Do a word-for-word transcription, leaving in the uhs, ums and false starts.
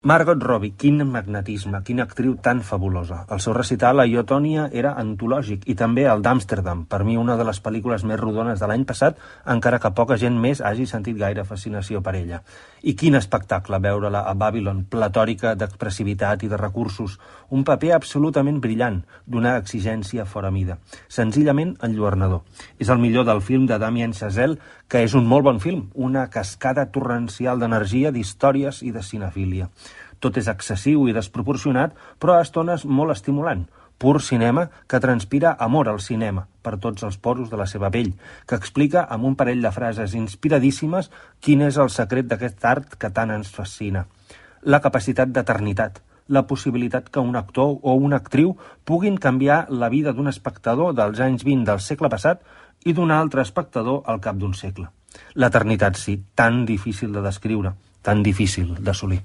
Margot Robbie, quin magnetisme, quina actriu tan fabulosa. El seu recital a Iotònia era antològic i també el d'Amsterdam, per mi una de les pel·lícules més rodones de l'any passat, encara que poca gent més hagi sentit gaire fascinació per ella. I quin espectacle veure-la a Babylon, platòrica d'expressivitat i de recursos, un paper absolutament brillant, d'una exigència fora mida, senzillament enlluernador. És el millor del film de Damien Chazelle, que és un molt bon film, una cascada torrencial d'energia, d'històries i de cinefília. Tot és excessiu i desproporcionat, però a estones molt estimulant. Pur cinema que transpira amor al cinema per tots els poros de la seva pell, que explica amb un parell de frases inspiradíssimes quin és el secret d'aquest art que tant ens fascina. La capacitat d'eternitat, la possibilitat que un actor o una actriu puguin canviar la vida d'un espectador dels anys vint del segle passat i d'un altre espectador al cap d'un segle. L'eternitat, sí, tan difícil de descriure, tan difícil d'assolir.